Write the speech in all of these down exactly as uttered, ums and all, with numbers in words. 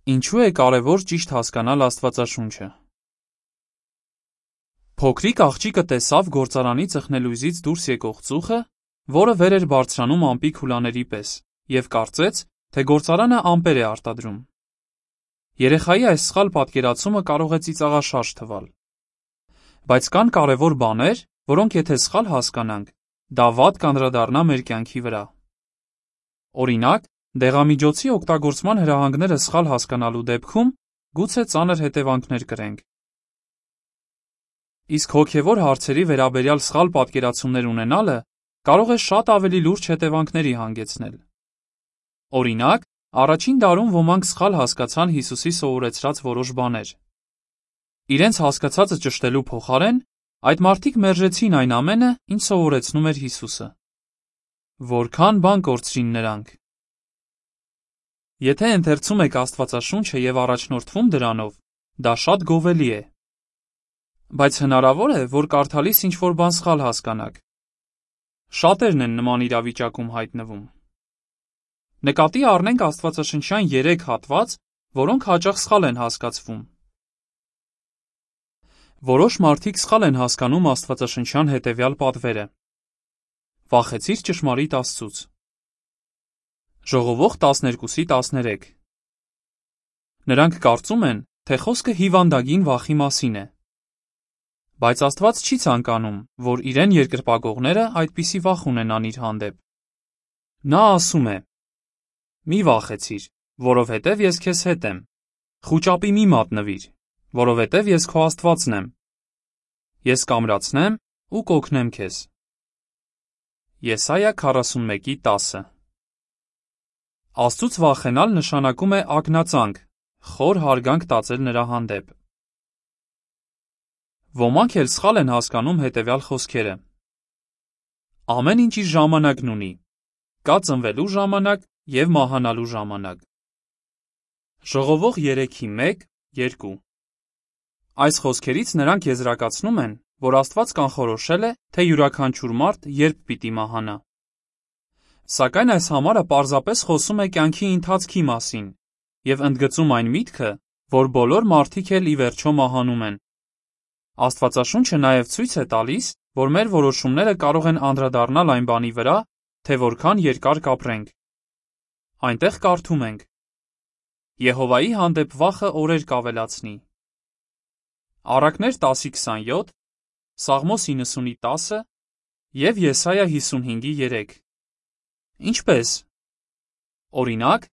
Ինչու է կարևոր ճիշտ հասկանալ Աստվածաշունչը։ Փոքրիկ աղջիկը տեսավ գործարանի ծխնելույզից դուրս եկող ծուխը, որը վեր էր բարձրանում ամպի քուլաների պես, եւ կարծեց, թե գործարանը ամպեր է արտադրում։ Երեխայի այս սխալ պատկերացումը կարող է ծիծաղաշարժ թվալ։ Բայց կան կարևոր բաներ, որոնք եթե սխալ հասկանանք, դա վատ կանդրադառնա մեր կյանքի վրա։ Օրինակ, դեղամիջոցի օգտագործման հրահանգները սխալ հասկանալու դեպքում գուցե ծանր հետևանքներ կրենք։ Իսկ հոգևոր հարցերի վերաբերյալ սխալ պատկերացումներ ունենալը կարող է շատ ավելի լուրջ հետևանքների հանգեցնել։ Օրինակ, առաջին դարում ոմանք սխալ հասկացան Հիսուսի սովորեցրած որոշ բաներ։ Իրենց հասկացածը ճշտելու փոխարեն, այդ մարդիկ մերժեցին այն ամենը, ինչ սովորեցնում էր Հիսուսը։ Որքան բան կորցրին նրանք։ Եթե ընթերցում եք Աստվածաշունչը եւ առաջնորդվում դրանով, դա շատ գովելի է։ Բայց հնարավոր է, որ կարդալիս ինչ-որ բան սխալ հասկանաք։ Շատերն են նման իրավիճակում հայտնվում։ Նկատի առնենք աստվածաշնչյան երեք հատված, որոնք հաճախ սխալ են հասկացվում։ Որոշ մարդիկ սխալ են հասկանում աստվածաշնչյան հետևյալ պատվերը. Վախեցիր ճշմարիտ Աստծուց։ Ժողովող տասներկուսի տասներեք։ Նրանք կարծում են, թե խոսքը հիվանդագին վախի մասին է։ Բայց Աստված չի ցանկանում, որ իրեն երկրպագողները այդպիսի վախ ունենան իր հանդեպ։ Նա ասում է. Մի վախեցիր, որովհետև ես քեզ հետ եմ։ Խուճապի մի մատնվիր, որովհետև ես քո Աստվածն եմ։ Ես կամրացնեմ ու կօգնեմ քեզ։ Եսայա քառասունմեկի տասը։ Աստծուց վախենալ նշանակում է ակնածանք, խոր հարգանք տածել նրա հանդեպ։ Ոմանք էլ սխալ են հասկանում հետևյալ խոսքերը. Ամեն ինչ իր ժամանակն ունի։ Կա ծնվելու ժամանակ և մահանալու ժամանակ։ Ժողովող երեքի մեկ երկու։ Այս խոսքերից նրանք եզրակացնում են, որ Աստված կանխորոշել է, թե յուրաքանչյուր մարդ երբ պիտի մահանա։ Սակայն այս համարը պարզապես խոսում է կյանքի ընթացքի մասին և ընդգծում այն միտքը, որ բոլոր մարդիկ էլ ի վերջո մահանում են։ Աստվածաշունչը նաև ցույց է տալիս, որ մեր որոշումները կարող են անդրադառնալ այն բանի վրա, թե որքան երկար կապրենք։ Այնտեղ կարդում ենք. Եհովայի հանդեպ վախը օրեր կավելացնի։ Առակներ տասի քսանյոթ, Սաղմոս իննսունի տասը և Եսայա հիսունհինգի երեք։ Ինչպես։ Օրինակ,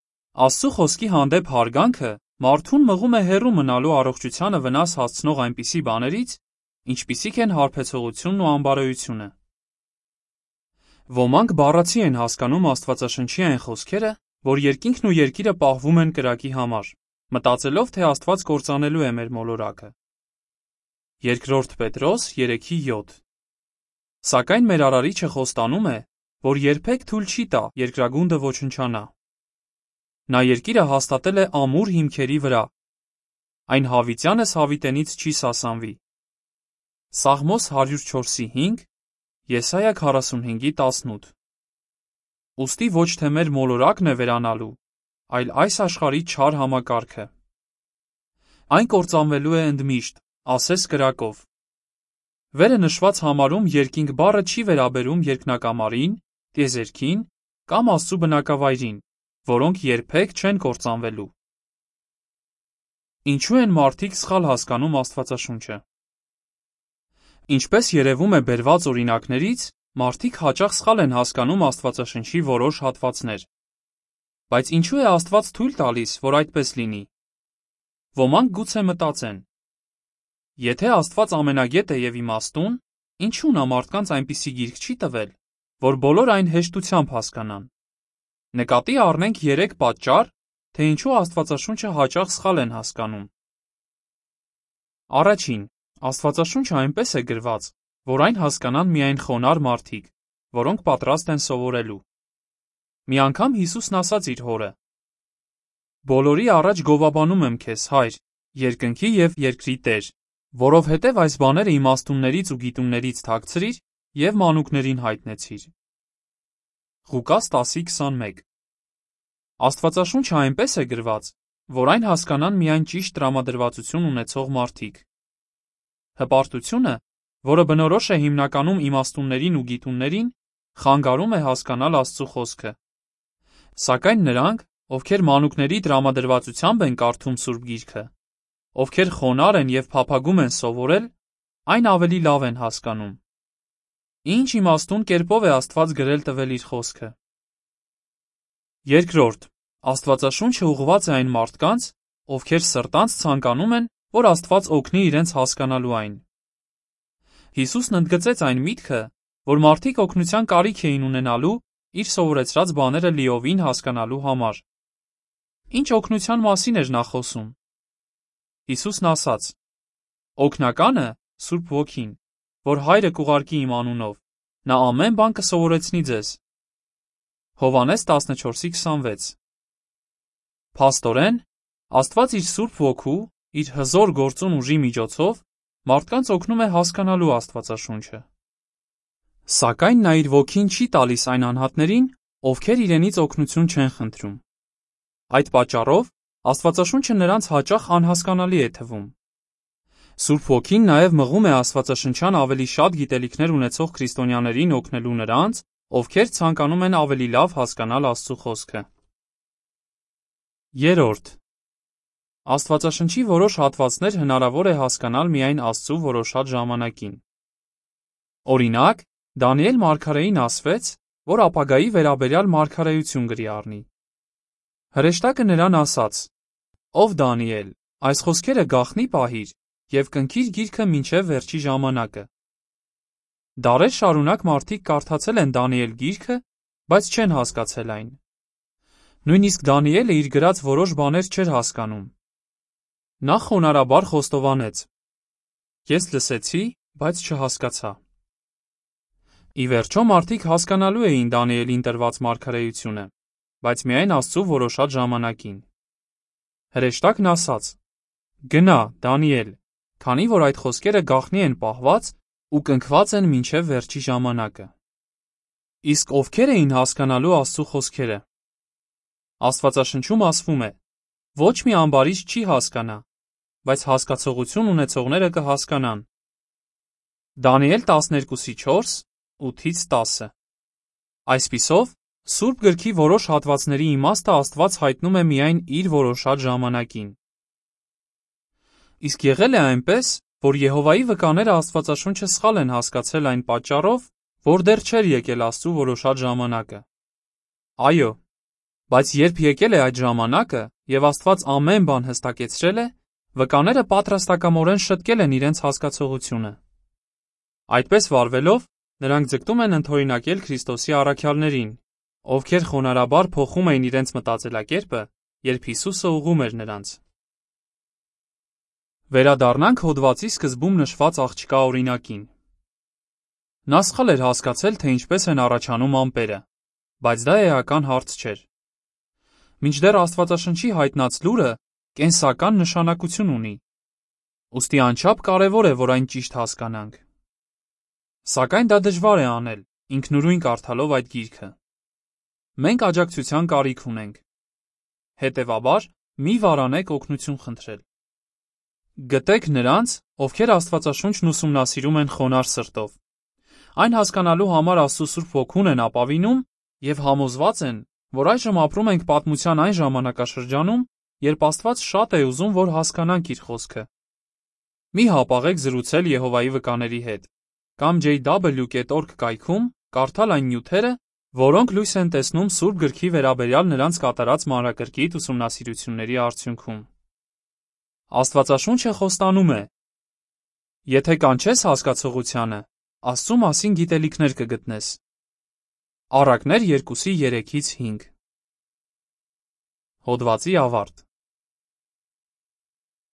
Աստծու խոսքի հանդեպ հարգանքը մարդուն մղում է հեռու մնալու առողջությանը վնաս հասցնող այնպիսի բաներից, ինչպիսիք են հարբեցողությունն ու անբարոյությունը։ Ոմանք բառացի են հասկանում Աստվածաշնչի այն խոսքերը, որ երկինքն ու երկիրը պահվում են կրակի համար, մտածելով, թե Աստված կործանելու է մեր մոլորակը։ Երկրորդ Պետրոս երեքի յոթ։ Սակայն մեր Արարիչը խոստանում է, որ երբեք թույլ չի տա երկրագունդը ոչնչանա։ Նա երկիրը հաստատել է ամուր հիմքերի վրա։ Այն հավիտյանս հավիտենից չի սասանվի։ Սաղմոս հարյուր չորսի հինգ, Եսայա քառասունհինգի տասնութ։ Ուստի ոչ թե մեր մոլորակն է վերանալու, այլ այս աշխարհի չար համակարգը։ Այն կործանվելու է ընդմիշտ, ասես կրակով։ Վերը նշված համարում երկինք բառը չի վերաբերում երկնակամարին, տիեզերքին կամ Աստծու բնակավայրին, որոնք երբեք չեն կործանվելու։ Ինչու են մարդիկ սխալ հասկանում Աստվածաշունչը։ Ինչպես երևում է բերված օրինակներից, մարդիկ հաճախ սխալ են հասկանում Աստվածաշնչի որոշ հատվածներ։ Բայց ինչու է Աստված թույլ տալիս, որ այդպես լինի։ Ոմանք գուցե մտածեն. Եթե Աստված ամենագետ է և իմաստուն, ինչու նա մարդկանց այնպիսի գիրք չի տվել, որ բոլոր այն հեշտությամբ հասկանան։ Նկատի առնենք երեք պատճառ, թե ինչու Աստվածաշունչը հաճախ սխալ են հասկանում։ Առաջին, Աստվածաշունչը այնպես է գրված, որ այն հասկանան միայն խոնարհ մարդիկ, որոնք պատրաստ են սովորելու։ Մի անգամ Հիսուսն ասաց իր հորը. Բոլորի առաջ գովաբանում եմ քեզ, Հայր, երկնքի և երկրի Տեր, որովհետև այս բաները իմաստուններից ու գիտուններից թաքցրիր և մանուկներին հայտնեցիր։ Ղուկաս տասի քսանմեկ։ Աստվածաշունչը այնպես է գրված, որ այն հասկանան միայն ճիշտ տրամադրվածություն ունեցող մարդիկ։ Հպարտությունը, որը բնորոշ է հիմնականում իմաստուններին ու գիտուններին, խանգարում է հասկանալ Աստծու խոսքը։ Սակայն նրանք, ովքեր մանուկների տրամադրվածությամբ են կարդում Սուրբ Գիրքը, ովքեր խոնարհ են և փափագում են սովորել, այն ավելի լավ են հասկանում։ Ինչ իմաստուն կերպով է Աստված գրել տվել իր խոսքը։ Երկրորդ, Աստվածաշունչը ուղղված է այն մարդկանց, ովքեր սրտանց ցանկանում են, որ Աստված օգնի իրենց հասկանալու այն։ Հիսուսն ընդգծեց այն միտքը, որ մարդիկ օգնության կարիք էին ունենալու իր սովորեցրած բաները լիովին հասկանալու համար։ Ինչ օգնության մասին էր նա խոսում։ Հիսուսն ասաց. «Օգնականը, Սուրբ Ոգին, որ Հայրը կուղարկի իմ անունով, նա ամեն բան կսովորեցնի ձեզ»։ Հովհաննես տասնչորս քսանվեց։ Փաստորեն, Աստված իր Սուրբ Ոգու, իր հզոր գործուն ուժի միջոցով մարդկանց օգնում է հասկանալու Աստվածաշունչը։ Սակայն նա իր ոգին չի տալիս այն անհատներին, ովքեր իրենից օգնություն չեն խնդրում։ Այդ պատճառով Աստվածաշունչը նրանց հաճախ անհասկանալի է թվում։ Սուրբ Ոգին նաև մղում է աստվածաշնչյան ավելի շատ գիտելիքներ ունեցող քրիստոնյաներին օգնելու նրանց, ովքեր ցանկանում են ավելի լավ հասկանալ Աստծու խոսքը։ Երորդ. Աստվածաշնչի որոշ հատվածներ հնարավոր է հասկանալ միայն Աստծու որոշած ժամանակին։ Օրինակ, Դանիել մարգարեին ասվեց, որ ապագայի վերաբերյալ մարգարեություն գրի առնի։ Հրեշտակը նրան ասաց. «Ով Դանիել, այս խոսքերը գաղտնի պահիր և կնքիր գիրքը մինչև վերջի ժամանակը»։ Դարեր շարունակ մարդիկ կարդացել են Դանիել գիրքը, բայց չեն հասկացել այն։ Նույնիսկ Դանիելը իր գրած որոշ բաներ չէր հասկանում։ Նա խոնարհաբար խոստովանեց. «Ես լսեցի, բայց չհասկացա»։ Ի վերջո մարդիկ հասկանալու էին Դանիելին տրված մարգարեությունը, բայց միայն Աստծու որոշած ժամանակին։ Հրեշտակն ասաց. «Գնա, Դանիել, քանի որ այդ խոսքերը գաղտնի են պահված ու կնքված են մինչև վերջի ժամանակը»։ Իսկ ովքեր էին հասկանալու Աստծու խոսքերը։ Աստվածաշնչում ասվում է. «Ոչ մի ամբարիշտ չի հասկանա, բայց հասկացողություն ունեցողները կհասկանան»։ Դանիել տասներկուսի չորս, ութից տասը։ Այսպիսով, Սուրբ գրքի որոշ հատվածների իմաստը Աստված հայտնում է միայն իր որոշած ժամանակին։ Իսկ եղել է այնպես, որ Եհովայի վկաները Աստվածաշունչը սխալ են հասկացել այն պատճառով, որ դեռ չէր եկել Աստծու որոշած ժամանակը։ Այո, բայց երբ եկել է այդ ժամանակը և Աստված ամեն բան հստակեցրել է, վկաները պատրաստակամորեն շտկել են իրենց հասկացողությունը։ Այդպես վարվելով, նրանք ձգտում են ընդօրինակել Քրիստոսի առաքյալներին, ովքեր խոնարհաբար փոխում էին իրենց մտածելակերպը, երբ Հիսուսը ուղղում էր նրանց։ Վերադառնանք հոդվածի սկզբում նշված աղջկա օրինակին։ Նա սխալ էր հասկացել, թե ինչպես են առաջանում ամպերը, բայց դա էական հարց չէր։ Մինչդեռ Աստվածաշնչի հայտնած լուրը կենսական նշանակություն ունի, ուստի անչափ կարևոր է, որ այն ճիշտ հասկանանք։ Սակայն դա դժվար է անել, ինքնուրույն կարդալով այդ գիրքը։ Մենք աջակցության կարիք ունենք։ Հետևաբար, մի վարանեք օգնություն խնդրել։ Գտեք նրանց, ովքեր Աստվածաշունչն ուսումնասիրում են խոնարհ սրտով։ Այն հասկանալու համար Աստծու Սուրբ Ոգուն են ապավինում և համոզված են, որ այժմ ապրում ենք պատմության այն ժամանակաշրջանում, երբ Աստված շատ է ուզում, որ հասկանանք իր խոսքը։ Մի հապաղեք զրուցել Եհովայի վկաների հետ կամ ջեյ դաբլյու դոտ օրգ կայքում կարդալ այն նյութերը, որոնք լույս են տեսնում Սուրբ գրքի վերաբերյալ նրանց կատարած մանրակրկիտ ուսումնասիրությունների արդյունքում։ Աստվածաշունչը խոստանում է. եթե կանչես հասկացողությանը, Աստծու մասին գիտելիքներ կգտնես։ Առակներ երկուսի երեքից հինգ։ Հոդվացի ավարտ։